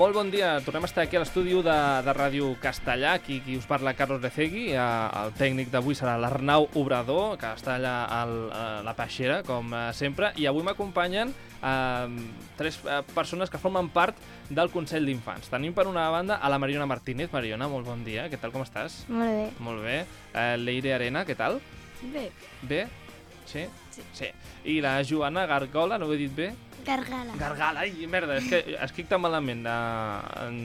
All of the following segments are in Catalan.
Molt bon dia, tornem a estar aquí a l'estudi de Ràdio Castellà, aquí qui us parla Carlos Lecegui, el tècnic d'avui serà l'Arnau Obrador, que està allà a la peixera, com sempre, i avui m'acompanyen tres persones que formen part del Consell d'Infants. Tenim per una banda a la Mariona Martínez. Mariona, molt bon dia, què tal, com estàs? Molt bé. Molt bé. Leire Arena, què tal? Bé. Bé? Sí? Sí. I la Joana Gargola, no ho he dit bé? Gargala. Gargala, ai, merda, és que escric tan malament.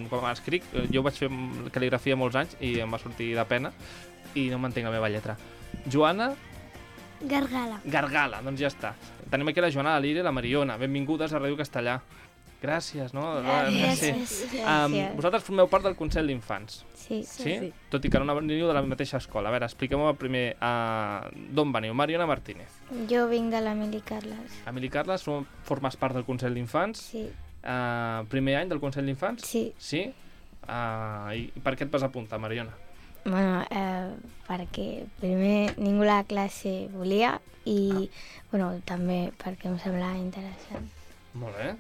Quan escric, jo vaig fer cal·ligrafia molts anys i em va sortir de pena i no m'entenc la meva lletra. Joana Gargala. Gargala, doncs ja està. Tenim aquí la Joana, la Leire i la Mariona. Benvingudes a Ràdio Castellà. Gràcies, no? Gràcies. Vosaltres formeu part del Consell d'Infants. Sí. Sí? Tot i que no veniu de la mateixa escola. A veure, expliqueu-me primer d'on veniu. Mariona Martínez. Jo vinc de l'Emili Carles. Emili Carles, formes part del Consell d'Infants. Sí. Primer any del Consell d'Infants? Sí. Sí? I per què et vas apuntar, Mariona? Bueno, perquè primer ningú a la classe volia i també perquè em semblava interessant. Molt bé.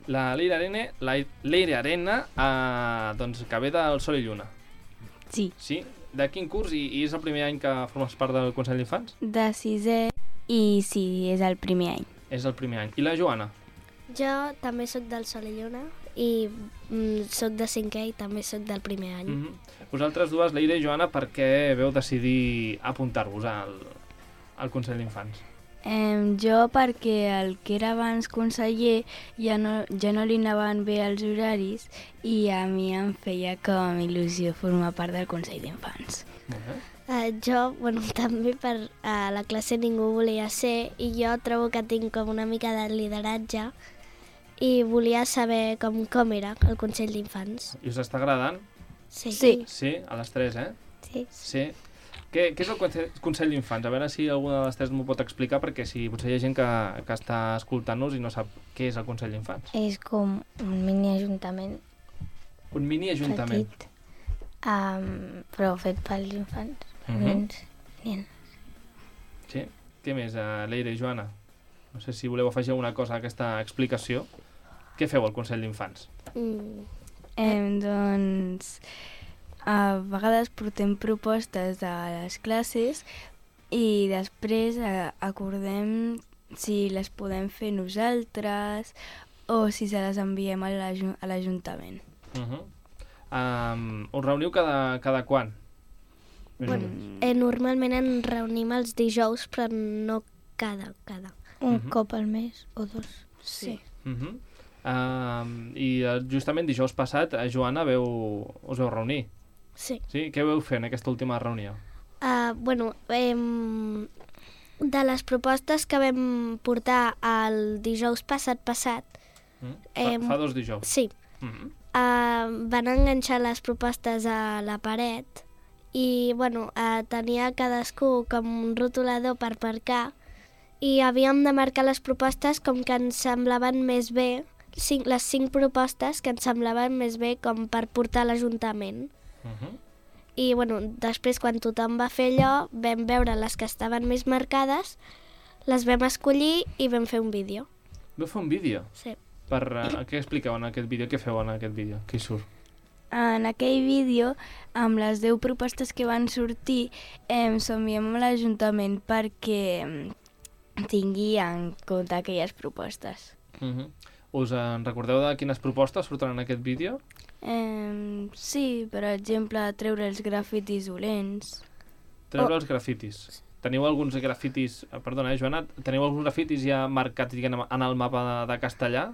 La Leire Arena, doncs, que ve del Sol i Lluna. Sí. Sí? De quin curs? I és el primer any que formes part del Consell d'Infants? De sisè i sí, és el primer any. És el primer any. I la Joana? Jo també sóc del Sol i Lluna i sóc de cinquè i també sóc del primer any. Vosaltres dues, Leire i Joana, per què veu decidir apuntar-vos al Consell d'Infants? Jo perquè el que era abans conseller ja no li anaven bé els horaris i a mi em feia com il·lusió formar part del Consell d'Infants. Jo, també per la classe ningú volia ser i jo trobo que tinc com una mica de lideratge i volia saber com era el Consell d'Infants. I us està agradant? Sí. Sí, a les tres, Sí. Sí. Què és el Consell d'Infants? A veure si alguna de les tres m'ho pot explicar, perquè potser hi ha gent que està escoltant-nos i no sap què és el Consell d'Infants. És com un mini-ajuntament Un mini-ajuntament. petit, però fet pels infants, nens. Sí? Què més, Leire i Joana? No sé si voleu afegir alguna cosa a aquesta explicació. Què feu al Consell d'Infants? Doncs a vegades portem propostes a les classes i després acordem si les podem fer nosaltres o si se les enviem a l'Ajuntament. Us reuniu cada quan? Normalment ens reunim els dijous, però no cada. Un cop al mes o dos. Sí. I justament dijous passat, Joana, us veu reunir. Sí. Sí? Què vau fer en aquesta última reunió? De les propostes que vam portar el dijous passat, Fa 2 dijous. sí, van enganxar les propostes a la paret i tenia cadascú com un rotulador per marcar i havíem de marcar les propostes com que ens semblaven més bé, les 5 propostes que ens semblaven més bé com per portar a l'Ajuntament. I després quan tothom va fer allò vam veure les que estaven més marcades, les vam escollir i vam fer un vídeo. Vau fer un vídeo? Sí. Què expliqueu en aquest vídeo? Què feu en aquest vídeo? Què hi surt? En aquell vídeo, amb les 10 propostes que van sortir, s'enviem a l'Ajuntament perquè tingui en compte aquelles propostes. Us en recordeu de quines propostes surten en aquest vídeo? Sí, per exemple, treure els grafitis dolents. Treure els grafitis. Teniu alguns grafitis... Perdona, Joana, teniu alguns grafitis ja marcats en el mapa de Castellà?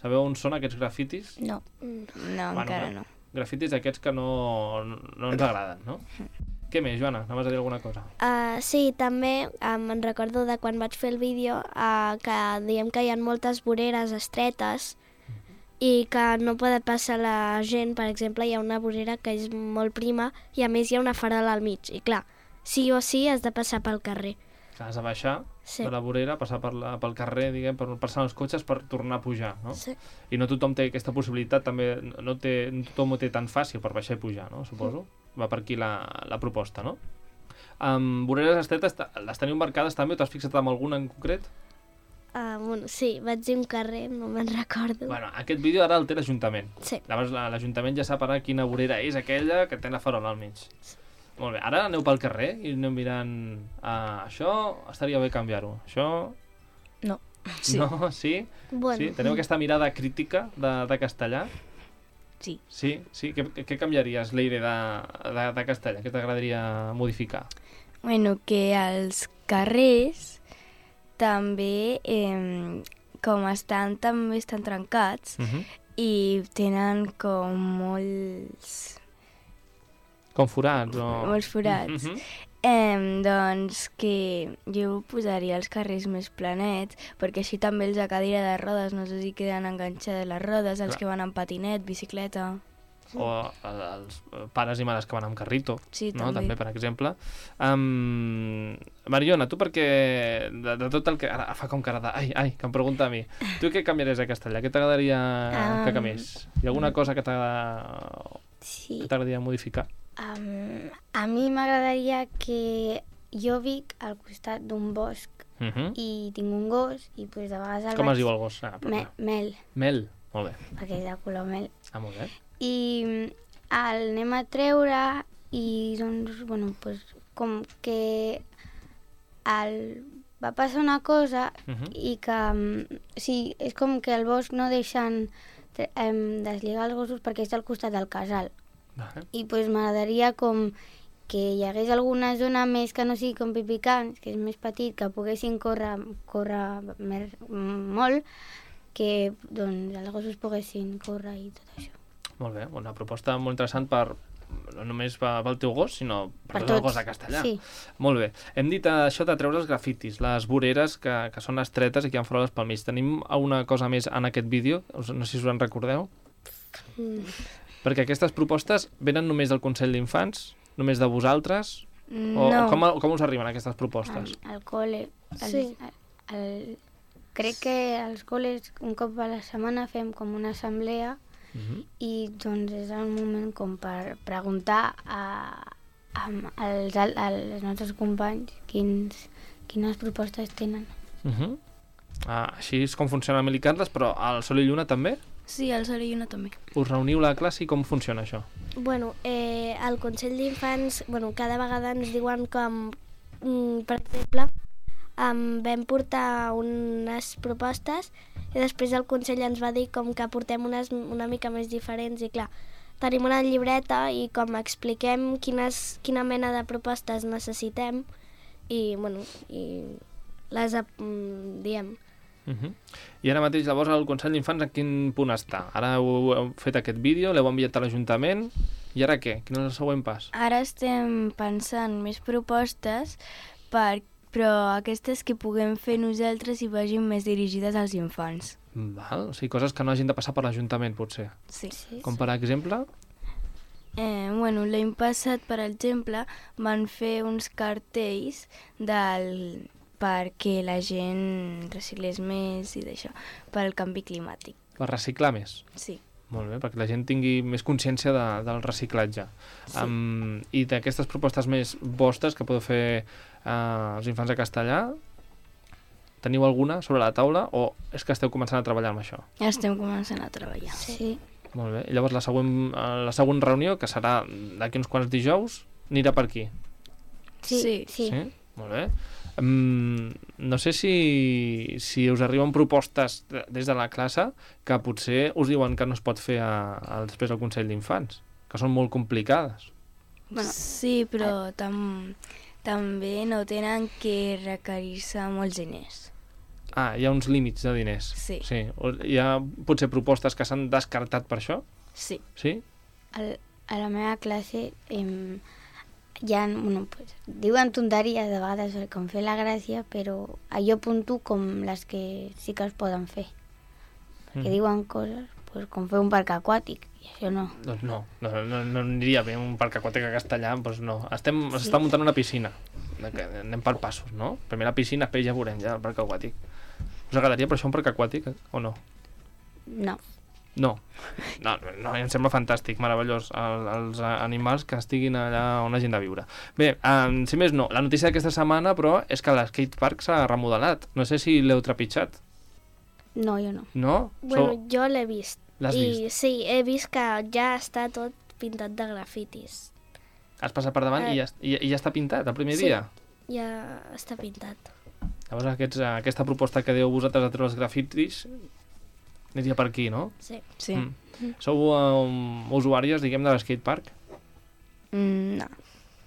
Sabeu on són aquests grafitis? No. No, encara no. Grafitis aquests que no ens agraden, no? Què més, Joana? Anaves a dir alguna cosa? Sí, també me'n recordo de quan vaig fer el vídeo que diem que hi ha moltes voreres estretes i que no pot passar la gent. Per exemple, hi ha una vorera que és molt prima i a més hi ha una farola al mig. I clar, sí o sí has de passar pel carrer. Has de baixar de la vorera, passar pel carrer, per passar els cotxes per tornar a pujar, no? Sí. I no tothom té aquesta possibilitat, també no tothom ho té tan fàcil per baixar i pujar, no? Suposo. Va per aquí la proposta, no? Voreres estretes, les teniu marcades també o t'has fixat en alguna en concret? Bueno, sí, vaig dir un carrer, no me'n recordo. Bueno, aquest vídeo ara el té l'Ajuntament. Sí. Llavors l'Ajuntament ja sap ara quina vorera és aquella que té la farola al mig. Molt bé, ara aneu pel carrer i aneu mirant... això estaria bé canviar-ho. Això... No. Sí. No? Sí? Bueno. Sí? Teniu aquesta mirada crítica de castellà? Sí. Sí? Sí? Què canviaries, Leire, de castellà? Què t'agradaria modificar? Bueno, que els carrers també, com també estan trencats i tenen com Com forats o... molts forats. Doncs que jo posaria els carrers més planets, perquè així també els de cadira de rodes no sé si queden enganxades les rodes, els Clar. que van amb patinet, bicicleta... O els pares i mares que van amb carrito, Sí, no? també. També, per exemple. Mariona, tu perquè de tot el que... Ara fa com cara de... Ai, que em pregunta a mi. Tu què canviaries a castellà? Què t'agradaria que canviés? Hi ha alguna cosa que Sí. t'agradaria modificar? A mi m'agradaria que jo vic al costat d'un bosc i tinc un gos i pues, de vegades el Com es vaig... diu el gos? Mel, Mel. Molt bé. perquè és de color mel. Molt bé. I el anem a treure i doncs, bueno, pues, com que va passar una cosa i que, sí, és com que al bosc no deixen deslligar els gossos perquè és al costat del casal. Vale. I pues, m'agradaria com que hi hagués alguna zona més que no sigui com Pipicans, que és més petit, que poguessin córrer molt, que doncs, els gossos poguessin córrer i tot això. Molt bé, una proposta molt interessant no només pel teu gos, sinó per tot el gos de castellà. Sí. Molt bé. Hem dit això de treure els grafitis, les voreres que són estretes i que han faroles pel mig. Tenim alguna cosa més en aquest vídeo? No sé si us en recordeu. Perquè aquestes propostes venen només del Consell d'Infants? Només de vosaltres? O No. com us arriben aquestes propostes? Al col·le. Sí. Crec que als col·les un cop a la setmana fem com una assemblea i doncs és el moment com per preguntar als nostres companys quines propostes tenen. Així és com funciona a Milicantes, però al Sol i Lluna també? Sí, al Sol i Lluna també. Us reuniu a la classe i com funciona això? Bueno, al Consell d'Infants, bueno, cada vegada ens diuen com, per exemple, vam portar unes propostes i després el Consell ens va dir com que portem unes una mica més diferents i clar, tenim una llibreta i com expliquem quina mena de propostes necessitem i, bueno, i les diem. I ara mateix, llavors, el Consell d'Infants en quin punt està? Ara heu fet aquest vídeo, l'heu enviat a l'Ajuntament, i ara què? Quin és el següent pas? Ara estem pensant més propostes, però aquestes que puguem fer nosaltres i vagin més dirigides als infants. Val? O sigui, coses que no hagin de passar per l'Ajuntament, potser. Sí. Com per exemple? Bueno, l'any passat, per exemple, van fer uns cartells perquè la gent reciclés més i d'això, pel canvi climàtic. Per reciclar més? Sí. Molt bé, perquè la gent tingui més consciència del reciclatge. Sí. I d'aquestes propostes més vostres que podeu fer els infants de castellà, teniu alguna sobre la taula o és que esteu començant a treballar amb això? Ja estem començant a treballar. Sí. Molt bé. I llavors la següent reunió, que serà d'aquí uns quants dijous, anirà per aquí? Sí. Sí? Molt bé. No sé si us arriben propostes des de la classe que potser us diuen que no es pot fer després al Consell d'Infants, que són molt complicades. Bueno, Sí, però també no tenen que requerir-se molts diners. Hi ha uns límits de diners. Sí. Hi ha potser propostes que s'han descartat per això? Sí. Sí? a la meva classe bueno, pues, diuen tonteries de vegades com fer la gràcia, però jo apunto com les que sí que es poden fer. Perquè diuen coses pues, com fer un parc aquàtic, i això no. Doncs no aniria bé un parc aquàtic a castellà, doncs no. S'està muntant una piscina. Anem per passos, no? Primer la piscina, després ja veurem ja el parc aquàtic. Us agradaria per això un parc aquàtic o no? No. No, em sembla fantàstic, meravellós, els animals que estiguin allà on hagin de viure. Bé, si més no, la notícia d'aquesta setmana, però, és que l'skatepark s'ha remodelat. No sé si l'heu trepitjat. No, jo no. No? Bueno, jo l'he vist. L'has vist? I sí, he vist que ja està tot pintat de grafitis. Has passat per davant i ja està pintat el primer Sí. dia? Ja està pintat. Llavors aquesta proposta que dieu vosaltres de treure els grafitis aniria per aquí, no? Sí. Sí. Sou usuàries, diguem, de l'skatepark? No.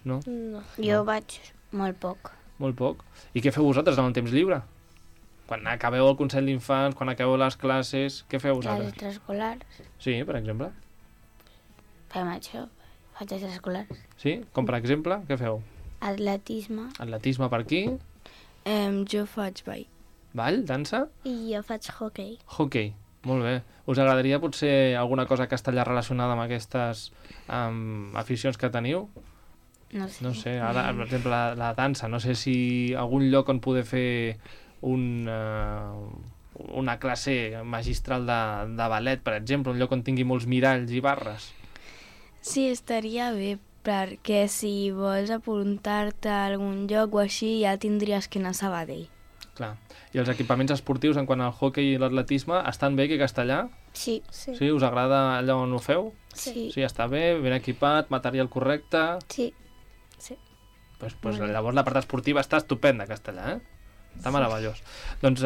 No? No. Jo vaig molt poc. Molt poc. I què feu vosaltres en el temps lliure? Quan acabeu el Consell d'Infants, quan acabeu les classes, què feu Les vosaltres? extraescolars. Sí, per exemple. Fem això. Faig extraescolars. Sí? Com per exemple, què feu? Atletisme. Atletisme per aquí, Jo faig ball. ball, dansa, I jo faig hockey. hockey. Molt bé. Us agradaria potser alguna cosa castellà relacionada amb aquestes aficions que teniu? No sé. No sé, ara, per exemple, la dansa. No sé si algun lloc on poder fer una classe magistral de ballet, per exemple, un lloc on tingui molts miralls i barres. Sí, estaria bé, perquè si vols apuntar-te a algun lloc o així ja tindries que anar a Sabadell. Clar. I els equipaments esportius en quant al hockey i l'atletisme estan bé aquí a Castellà? Sí. Sí. Sí? Us agrada allà on ho feu? Sí. Sí, està bé, ben equipat, material correcte... Sí. Pues llavors la part esportiva està estupenda a Castellà, Està meravellós. Doncs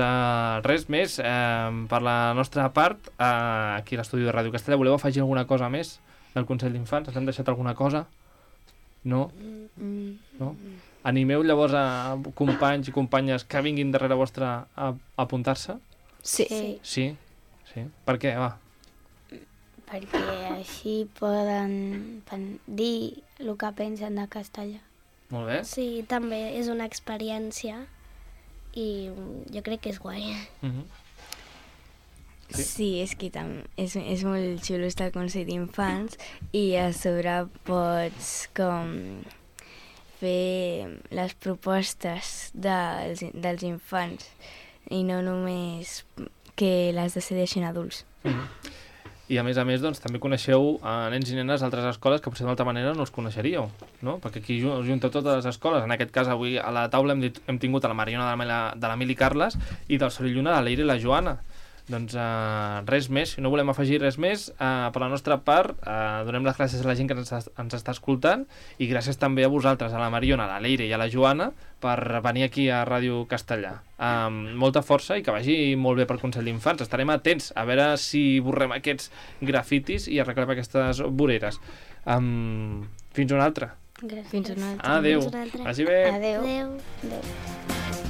res més, per la nostra part, aquí a l'estudi de Ràdio Castellà, voleu afegir alguna cosa més del Consell d'Infants? Ens hem deixat alguna cosa? No? No? Animeu llavors a companys i companyes que vinguin darrere vostra a apuntar-se? Sí. Sí? Sí? Per què? Va. Perquè així poden dir el que pensen de Castellà. Molt bé. Sí, també és una experiència i jo crec que és guai. Sí, és que és molt xulo estar al Consell d'Infants i a sobre pots com fer les propostes dels infants i no només que les decideixin adults. I a més, doncs, també coneixeu nens i nenes d'altres escoles que potser d'altra manera no els coneixeríeu, no? Perquè aquí us junta totes les escoles. En aquest cas, avui a la taula hem tingut a la Mariona de la Mili Carles i del Sorilluna, la Leire i la Joana. Doncs res més, si no volem afegir res més, per la nostra part donem les gràcies a la gent que ens està escoltant i gràcies també a vosaltres, a la Mariona, a la Leire i a la Joana, per venir aquí a Ràdio Castellà. Molta força i que vagi molt bé per Consell d'Infants. Estarem atents a veure si borrem aquests grafitis i arreglem aquestes voreres. Fins una altra. Gràcies. Fins una altra. Adéu. Fins una altra. Vagi bé. Adéu. Adéu. Adéu.